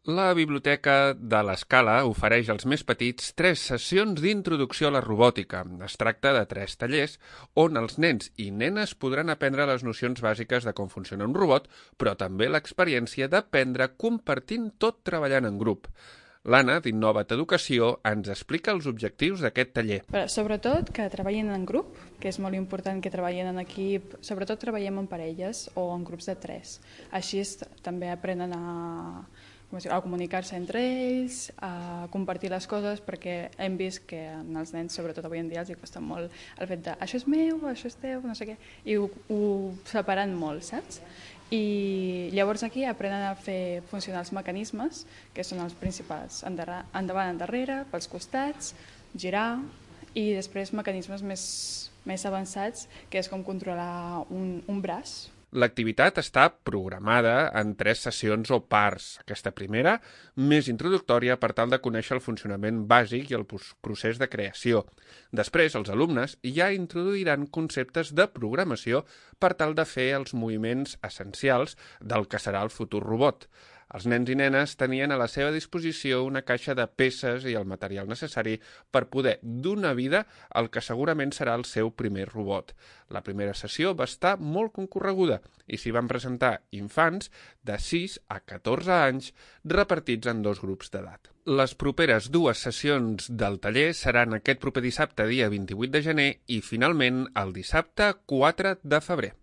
La Biblioteca de l'Escala ofereix als més petits 3 sessions d'introducció a la robòtica. Es tracta de 3 tallers on els nens i nenes podran aprendre les nocions bàsiques de com funciona un robot, però també l'experiència d'aprendre compartint tot treballant en grup. L'Anna, d'Innova't Educació, ens explica els objectius d'aquest taller. Sobretot que treballin en grup, que és molt important que treballin en equip, sobretot treballem en parelles o en grups de 3. Així també aprenen a comunicar-se entre ells, a compartir les coses, perquè hem vist que als nens, sobretot avui en dia, els costa molt el fet de això és meu, això és teu, no sé què, i ho separen molt, saps? I llavors aquí aprenen a fer funcionar els mecanismes, que són els principals, endavant, endarrere, pels costats, girar, i després mecanismes més avançats, que és com controlar un braç. L'activitat està programada en 3 sessions o parts. Aquesta primera, més introductòria per tal de conèixer el funcionament bàsic i el procés de creació. Després, els alumnes ja introduiran conceptes de programació per tal de fer els moviments essencials del que serà el futur robot. Els nens i nenes tenien a la seva disposició una caixa de peces i el material necessari per poder donar vida al que segurament serà el seu primer robot. La primera sessió va estar molt concorreguda i s'hi van presentar infants de 6 a 14 anys repartits en 2 grups d'edat. Les properes 2 sessions del taller seran aquest proper dissabte, dia 28 de gener, i finalment el dissabte 4 de febrer.